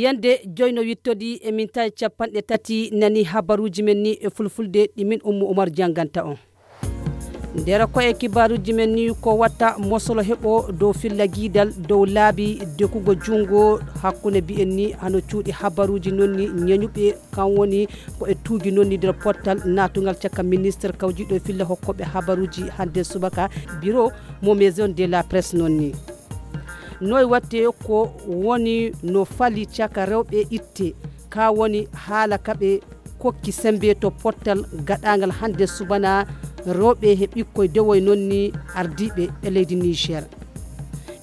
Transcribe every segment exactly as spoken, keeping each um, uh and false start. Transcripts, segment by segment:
yande joyno wittodi e min tawi capanɗe tati nani habaruji men ni e fulfulde ɗi min Ummu Umar janganta on. Ndera ko e kibaruji men ni ko watta mosolo heɓo dow filla guidal dow laabi dekugo jungo hakkunde bi'en ni hano cuuɗi habaruji nonni ñañuɓe kan woni ko e tuugi nonni nder portal natungal cakka ministre kawjiɗo filla hokkoɓe habaruji hande subaka bureau mo maison de la presse nonni. Noy watte ko woni no fali caka rewɓe itte ka woni haala kaɓe kokki sembe to portal gaɗangal hande subana rewɓe he ɓikkoye dewoy nonni ardiɓe e leydi Niger.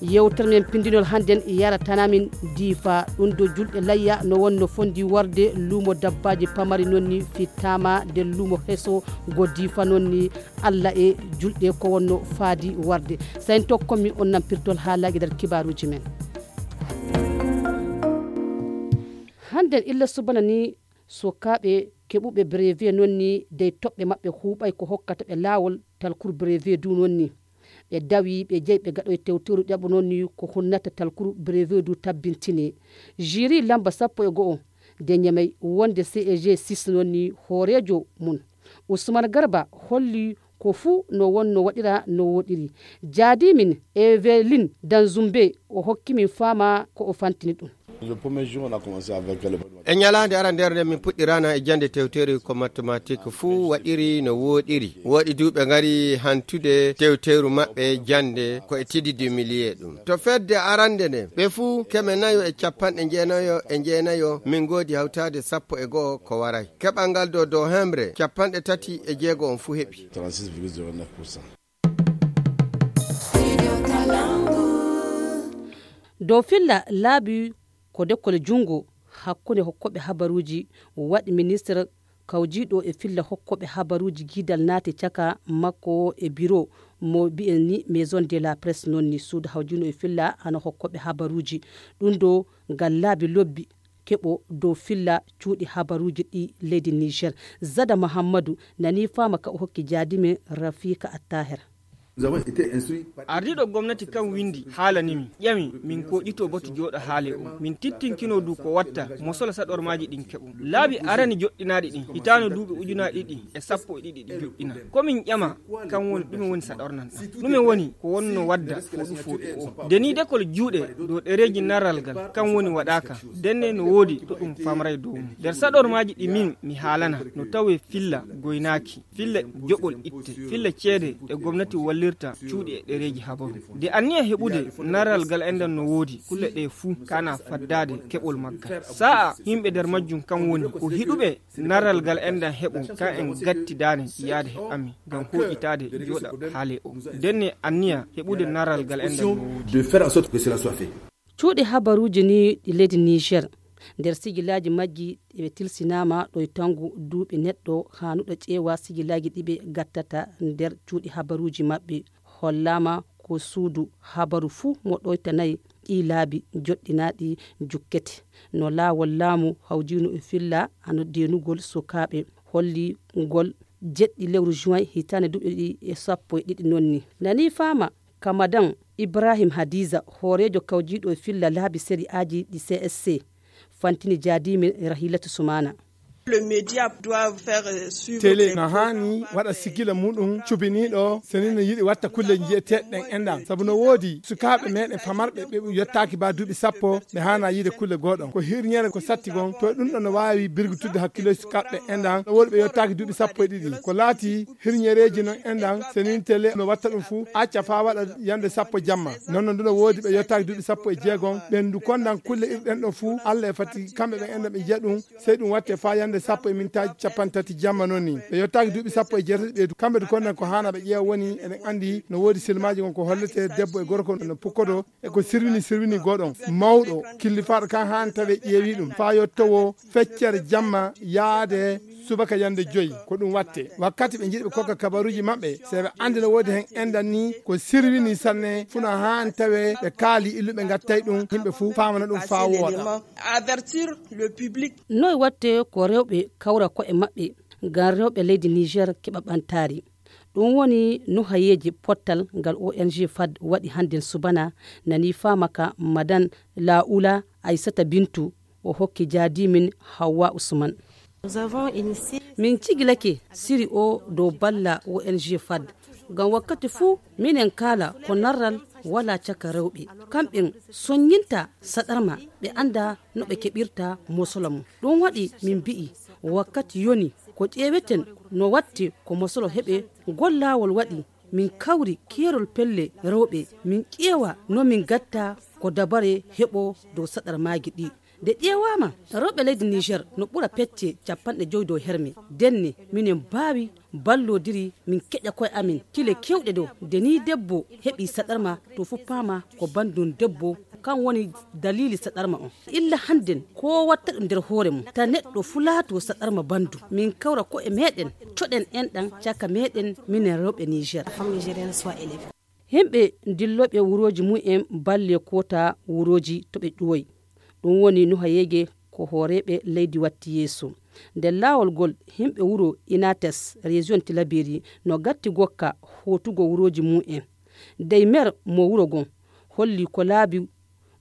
Yewtere men pindinol handen yaratanamin diifa ɗum do julɗe layya no wonno fondi warde luumo dabbaji pamari nonni fittama de luumo heso go diifa nonni Allah e julɗe ko wonno faadi warde. Sayin tokkomi on nampirtol haalaji nder kibaruji men. Handen illa subana ni sokaɓe keɓuɓe brevet nonni dey toɓɓe maɓɓe huuɓay ko hokkata ɓe laawol talkuru brevet du nonni ɓe dawi ɓe jeyi ɓe gaɗoye tewteru ɗaɓo nonni ko hunnata talkuru brevet du tabbintine. Jiri lamba sappo e go'o de ñamay wonde C E G six nonni hoorejo mun Ousmane Garba holli ko fuu no wonno waɗira no woɗiri. Jaadimin Eveline Danzumbe o hokkimin faama ko o fantini ɗum. e ñalande ara nder nde min puɗɗirana e jande tewtere ko mathématique fuu waɗiri no woɗiri woɗi duuɓe ngari hantude tewteru maɓɓe jande ko e tididi millier ɗum to fedde arande nde ɓe fuu keme nayo e capanɗe jeenayo e jeenayo min goodi hawtade sappo e go'o ko waray keɓal ngal do dow hembre capanɗe tati e jeego on fuu heɓi dow filla laabi ko dekkole jungo hakkunde hokkoɓe habaruji waɗi ministre kawjiɗo e filla hokkoɓe habaruji guidal naati caka makko e bureau mo bi'en ni maison de la presse nonni suudu hawjino e filla hano hokkoɓe habaruji ɗum do ngal laabi lobbi keɓo dow filla cuuɗi habaruji ɗi leydi Niger. Zada Mahamadou nani fama ka o hokki jaadime Rafika Attaher. ardiɗo gomnati kam windi haalanimi ƴami min koƴito boto jooɗo haale o min tittinkino du ko watta mo sola saɗormaji ɗin keɓum laabi arani joɗɗinaɗi ɗin hitano duuɓi ujunaɗi ɗiɗi e sappo e ɗiɗi ɗi joɗɗina komin ƴama kan woni ɗume woni saɗornanɗa ɗume woni ko wonno wadda foɗu foɗu o deni dekol juuɗe dow ɗereji narral ngal kan woni waɗaka denne no woodi to ɗum famray dow mum nder saɗormaji ɗi min mi haalana no tawe filla goynaki filla joɓol itte filla ceede e gomnati wallir cuuɗi e ɗereji habaru de anniya heɓude naral gal endan no woodi kulle ɗe fuu kana faddade keɓol maggal sa'a himɓe nder majjum kan woni ko hiɗuɓe naral gal endan heɓo kan en gattidane yaade he ami ngam hoƴitade jooɗa haale o denne anniya heɓude naral gal endan no woodi cuuɗi habaruji ni ɗi leydi Niger nder sigilaji majji ɓe tilsinama ɗo tangu duuɓi neɗɗo hanuɗo ƴeewa sigilaji ɗiɓe gattata nder cuuɗi habaruji maɓɓe hollama ko suudu habaru fuu mo ɗoytanayi ɗi laabi joɗɗinaɗi jukkete no laawol laamu hawjino e filla hano denugol sukaɓe holli ngol jeɗɗi lewru juin hitande duuɓi ɗi e sappo e ɗiɗi nonni nani fama Kamadan Ibrahim Hadiza hoorejo kawjiɗo e filla laabi série aji ɗi C S C fantini jaadimi Rahilatu Sumana. télé na hani waɗa sigila muɗum cubiniɗo senino yiɗi watta kulle jiyeteɗen enɗam saabu no woodi sukaɓe meɗen famarɓe ɓe yettaki ba duuɓi sappo ɓe hana yiide kulle goɗon ko hirñere ko satti gon to ɗum ɗon no wawi birgutude hakkille sukaɓe enɗam no woodi ɓe yettaki duuɓi sappo e ɗiɗi ko laati hirñereji noon enɗam senin télé no watta ɗum fuu acca fa waɗa yande sappo jamma non no nduno woodi ɓe yettaki duuɓi sappo e jeegon ɓen du kondan kulle irɗen ɗo fuu Allah e fati kamɓe ɓe enɗam ɓe jiya ɗum sey ɗum watte fa yande sappo e mintaji capan tati jamma noon ni ɓe yettaki duuɓi sappo e jeetati ɓeydu kamɓe du kondan ko hana ɓe ƴeewa woni eɗen andi no woodi silmaji gon ko hollete debbo e gorko no pukkoto e ko sirwini sirwini goɗon mawɗo killifaɗo kan han tawe ƴeewi ɗum fa yettowo feccere jamma yaade subaka yande joyi ko ɗum watte wakkati ɓe jiiɗi ɓe kokka kabaruji maɓɓe seɓe andi no woodi hen endan ni ko sirwini sanne funa han tawe ɓe kaali illuɓe gattay ɗum yimɓe fuu famana ɗum fa wooɗa noy watte ko rewɓe kawra ko'e maɓɓe ngam rewɓe leydi Niger keɓa ɓantari ɗum woni nuhayeji pottal ngal O N G F A D waɗi handen subana nani famaka madan Laoula Aissata Bintou o hokki jaadimin Hawa Usman. Min cigilake siri o dow balla O N G F A D ngam wakkati fuu minen kala ko narral wala caka rewɓe kamɓe soññinta saɗarma ɓe anda no ɓe keɓirta mosolo mum. Ɗum waɗi min mbi'i wakkati yoni ko ƴeeweten no watti ko mosolo heɓe gollawol waɗi min kawri keerol pelle rewɓe min ƴeewa no min gatta ko dabare heɓo dow saɗarmaji ɗi. De ƴeewama rewɓe leydi Niger no ɓura pecce capanɗe joyi dow herme denne minen mbaawi ballodiri min keƴa koye amin kile kewɗe dow nde ni debbo heɓi saɗarma to fu paama ko bandum debbo kan woni dalili saɗarma on. Illa hannden ko watta ɗum nder hoore mum ta neɗɗo fu laato saɗarma bandu min kawra ko e meɗen coɗen enɗan caka meɗen minen rewɓe Niger. Himɓe dilloɓe wuroji mu'en balle kota wuroji to ɓe ƴuwoyi ɗum woni Nuha Yege ko hooreɓe leydi watti yeeso. Nder laawol gol himɓe wuro Inates région Tilaberi no gatti gokka hotugo wuroji mu'en. Dey mer mo wuro gon holli ko laabi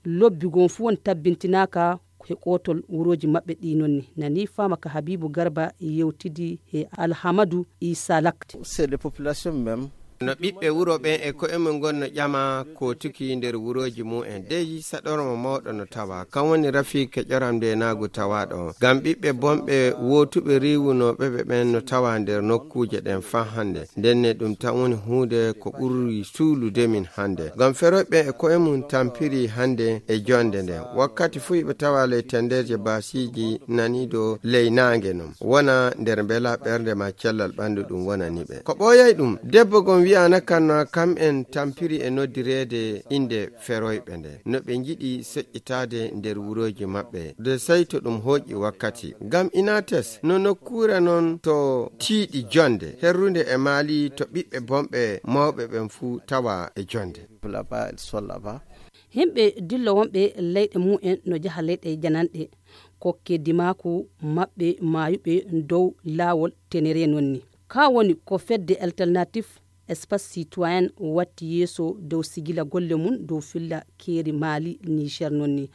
lobbi gon fu won tabbintinaka he kotol wuroji maɓɓe ɗi nonni. Nani fama ka Habibu Garba yewtidi he Alhamadou Issa Lakte. C'est les populations même. no ɓiɓɓe wuro ɓen e ko'e mum gonno ƴama ko tuki nder wuroji mu'en dey saɗormo mawɗo no tawa kan woni Rafike ƴoramde naagu tawaɗo ngam ɓiɓɓe bonɓe wotuɓe riwunoɓe ɓe ɓen no tawa nder nokkuje ɗen fa hande ndenne ɗum tan woni hunde ko ɓuri suulude min hande ngam feroɓe e ko'e mum tampiri hande e jonde nden wakkati fu ɓe tawa ley tenderje basiji nanido ley nangue non wona nder bela ɓerde ma cellal ɓandu ɗum wonaniɓe ko ɓoyay ɗum debbo gon wiyana kanno kam en tampiri e noddirede inde feroyɓe nde no ɓe jiɗi seƴƴitade nder wuroji maɓɓe de sey to ɗum hooƴi wakkati ngam Inates no nokkure non to tiiɗi jonde herrude e maali to ɓiɓɓe bonɓe mawɓe ɓen fuu tawa e jonde. Himɓe dillo wonɓe leyɗe mu'en no jaha leyɗe jananɗe kokke dimaku maɓɓe mayuɓe dow laawol tenere nonni ka woni ko fedde alternative espace citoyen watti yeeso dow sigila golle mum dow filla keeri Mali Niger nonni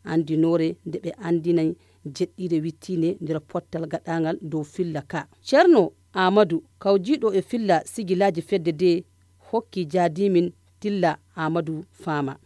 andinore nde ɓe andinay jeɗɗire wittine nder pottal gaɗangal dow filla ka. Ceerno Amadou kawjiɗo e filla sigilaji fedde de hokki jaadimin Tilla Amadou Fama.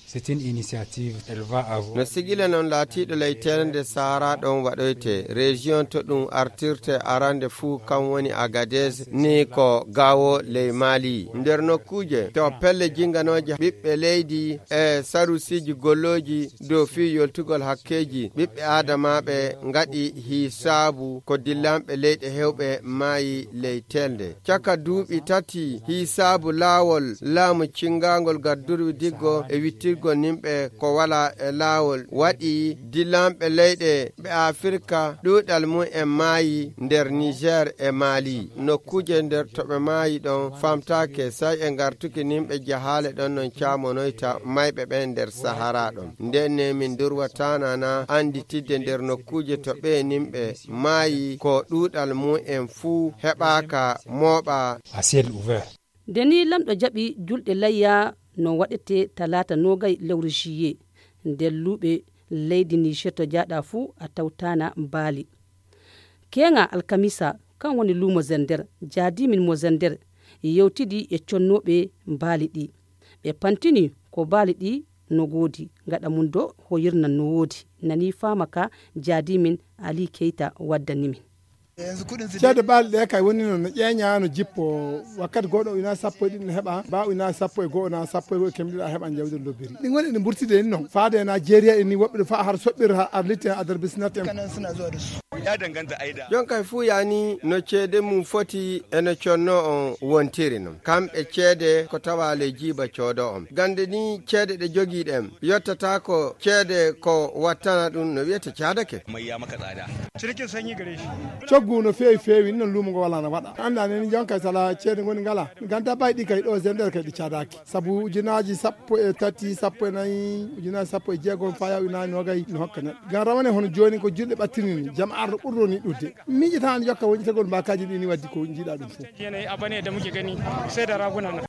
C'est une initiative, elle va avoir. No sigila non laatiɗo leytende Sahara ɗon waɗoyte région to ɗum artirte arande fuu kan woni Agadez ni ko gawo ley Mali nder nokkuje to pelle jinganoje ɓiɓɓe leydi e sarusiji golloji dow fi yoltugol hakkeji ɓiɓɓe adamaɓe ngaɗi hisabu ko dillanɓe leyɗe hewɓe maayi leytende caka duuɓi tati hisabu laawol laamu cingangol gaddurwi diggo e wittirgo nimɓe ko wala e laawol waɗi dillanɓe leyɗe ɓe Afrika ɗuɗal mum e maayi nder Niger e Mali nokkuje nder to ɓe maayi ɗon famtake say e gartuki nimɓe jahale ɗon non camonoyta mayɓe ɓen nder Sahara ɗon ndenne min durwatanana anditidde nder nokkuje to ɓe nimɓe maayi ko ɗuɗal mum en fuu heɓaka mooɓa à ciel ouvert. Deni lamɗo jaɓi julɗe layya no waɗete talata nogay lewru juillet nder luuɓe leydi Niger to jaɗa fuu a tawtana baali kenga alkamisa kan woni lumo zender jaadimin mo zender yewtidi e connoɓe baali ɗi ɓe pantini ko baali ɗi no goodi gaɗa mum do hoyirnan no woodi nani fama ka jaadimin Ali Keita waddanimin. ceede baali ɗe kay woni noon no ƴeeña no jippo wakkati goɗo ujuna sappo e ɗiɗi no heɓa mba ujuna sappo e goho na sappo e goho kemɗiɗa heɓa jawdi lobbiri ɗin woni ɗe ɓurtide en noon faade en a jeeriya en ni woɓɓe ɗo fa har soɓɓir ha ar litti adar bisnat en jon kay fuu yani no ceede mum foti eno conno on wontiri non kamɓe ceede ko tawa le jiiba coodo on gande ni ceede ɗe jogiiɗen yottata ko ceede ko wattana ɗum no wiyete caadake coggu no feewi feewi non lumo ngo wala no waɗa anda neni jon kay sala ceede goni ngala ganda bayɗi kay ɗo zender kay ɗi caadaki saabu ujunaji sappo e tati sappo e nayyi ujunaji sappo e jeegom faya ujunaji nogay no hokka neɗɗo gan rawane hono joni ko julɗe ɓattinini jam arɗo ɓurɗo ni ɗudde miƴitani jokka woñitagol mbakaji ɗi ni waddi ko jiiɗa ɗum fof yanayi abane da muke gani sai da raguna na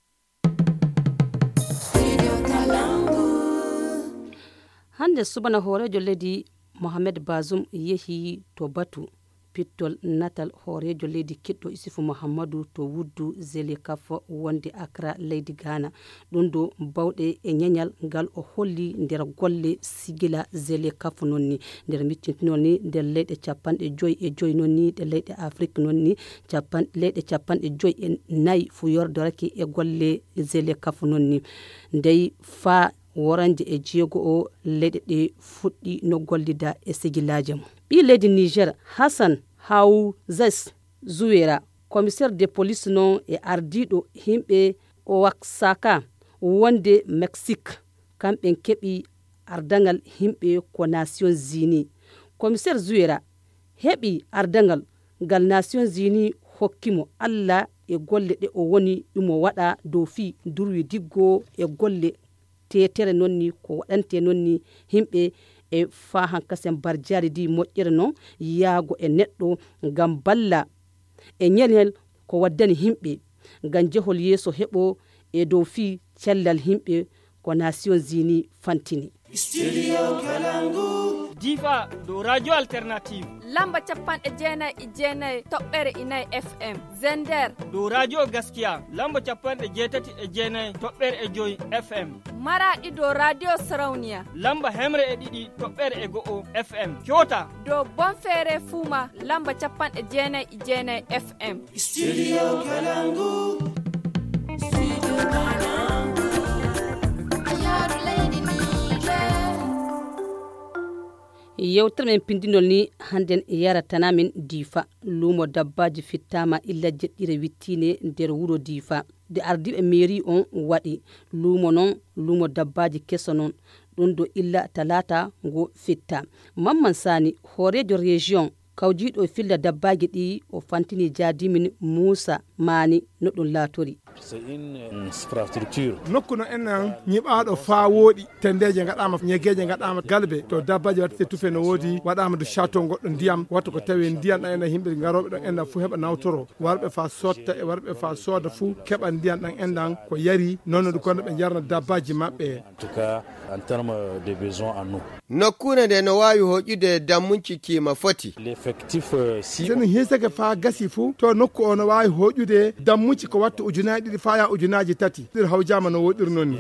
hande subana hoorejo leydi mohamed Bazoum yehi to batu pittol natal horejo leydi kiɗɗo Isufu Muhammadu to wuddu Zelekaf wonde Accra leydi Ghana ɗum do bawɗe e ñeñal ngal o holli nder golle sigila Zelekaf nonni nder mittintinol ni nder leyɗe capanɗe joyi e joyi nonni ɗe leyɗe Afrique nonni capan leyɗe capanɗe joyi e nayi fu yordorake e golle Zelekaf nonni ndey fa woranje e jeego o leyɗe ɗe fuɗɗi no gollida e sigilaje mum ɓi leydi Niger Hassan Haouzes Zouera commissaire de police non e ardiɗo himɓe o waksaka wonde Mexique kamɓe keɓi ardangal himɓe ko Nations Unies commissaire Zouera heɓi ardangal gal Nations Unies hokkimo Allah e golle ɗe o woni ɗumo waɗa dow fi durwi diggo e golle tetere nonni ko waɗante nonni himɓe e fa hankasen barjari di moƴƴere noon yaago e neɗɗo ngam balla e ñenel ko waddani himɓe ngam jehol yeeso heɓo e dow fi cellal himɓe ko Nations Unies fantini. Studio Kalangu. Diva do radio alternative. Lamba capanɗe jeenayi e jeenayi toɓɓere inayi F M. Zender do radio gaskiya. Lamba capanɗe jeetati e jeenayi toɓɓere e joyi F M. Maradi do radio Sarauniya. Lamba hemre e ɗiɗi toɓɓere e go'o F M. Kyota do Bonfere Fuma. Lamba capanɗe jeenayi e jeenayi F M. Studio Kalangu. Studio Kalangu. Ayaru leydi Niger. Yewtere men pindinol ni handen yaratanamin Difa lumo dabbaji fittama illa jeɗɗire wittine nder wuro Difa de ardiɓe mairie on waɗi lumo non lumo dabbaji keso non ɗum do illa talata ngo fitta Mamman Sani horejo région kawjiɗo filla dabbaji ɗi o fantini jadimin Moussa Mani no ɗum laatori. C'est une infrastructure. Nokku no en nyiɓaɗo fa woɗi tendeje gaɗama ñegeje gaɗama galbe to dabbaji watte tufe no wodi waɗama do château goɗɗo ndiyam watto ko tawi ndiyam ɗan ena himɓe garoɓe ɗo enɗan fu heɓa nawtoro warɓe fa sotta e warɓe fa soda fu keɓa ndiyam ɗan enɗan ko yari noon ɗo kono ɓe jarna dabbaji maɓɓe. En tout cas en termes de besoin en eau. Nokkune nde no wawi hoƴude dammunci kima foti. L'effectif si sen hisake fa gasi fu to nokku o no wawi hoƴude dammuci ko watta ujunaji ɗiɗi faya ujunaji tati ɗir hawjama no woɗir noon ni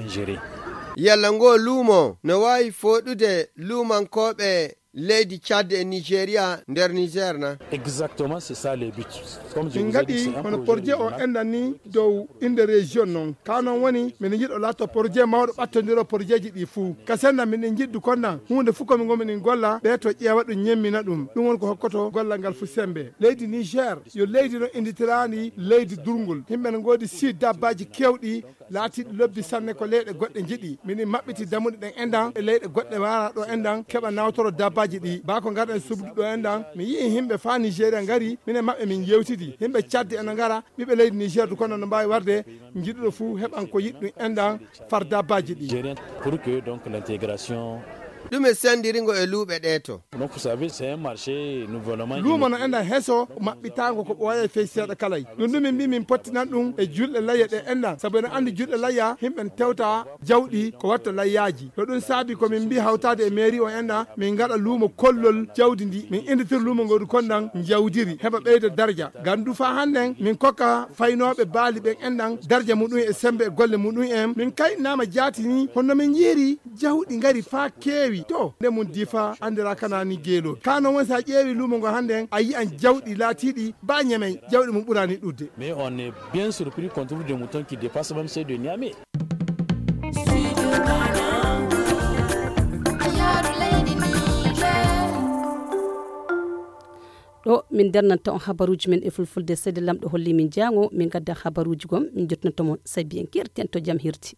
yalla ngo luumo no wawi foɗude luumankoɓe leydi Tchad et Nigeria nder Niger na. Exactement, c'est ça le but. Comme je vous ai dit, c'est un projet, projet o endan ni dow inde région non kanon woni min jiɗo latto projet mawɗo ɓattodiro projet ji ɗi fuu kasenna min jiɗdu konna hunde fu komin gomin golla ɓe to ƴeewa ɗum ñemmina ɗum ɗum woni ko hokkoto gollal ngal fu sembe leydi Niger yo leydi no inditirani leydi durgol himɓe no godi si dabbaji kewɗi laatiɗi lobbi sanne ko leyɗe goɗɗe jiɗi min maɓɓiti damuɗe ɗen endan e leyɗe goɗɗe wara ɗo endan keɓa nawtoro dabbaji ɗi ba ko garɗen subdu ɗo endan mi yii himɓe fa Nigéria ngari minen maɓɓe min yewtidi himɓe caddi eno ngara ɓiɓe leydi Niger du kono no mbawi warde jiɗuɗo fu heɓan ko yiɗɗum endan far dabbaji ɗi pour que donc l'intégration ɗume sendiringo e luuɓe ɗe to. Donc vous savez c'est un marché nouvellement luumo no endan heeso maɓɓitango ko ɓooya fey seeɗa kalay ɗum ɗum min mbi min pottinan ɗum e julɗe layya ɗe endan saabu ene andi julɗe layya himɓe tewta jawɗi ko watta layyaji to ɗum saabi komin mbi hawtade e mairie o endan min gaɗa luumo kollol jawdi ndi min inditir luumo ngodu kondan jawdiri heɓa ɓeyda darja gandu fa hannden min kokka faynoɓe baali ɓen endan darja muɗum e sembe e golle muɗum en min kayɗinama jaati ni honno min jiiri jawɗi ngari fa keewi to nde mum Difa andira kanani geelo kano won sa ƴeewi lumo ngo hande a yi an jawɗi laatiɗi ba ñamen jawɗi mum ɓurani ɗudde. Mais on est bien surpris qu'on trouve des moutons qui dépassent même ceux de Niamey. ɗo min dernanta on habaruji men e fulfulde seyde lamɗo holli min jango min gadda habaruji gom min jotnanta mon sabi en kirten to jam hirti.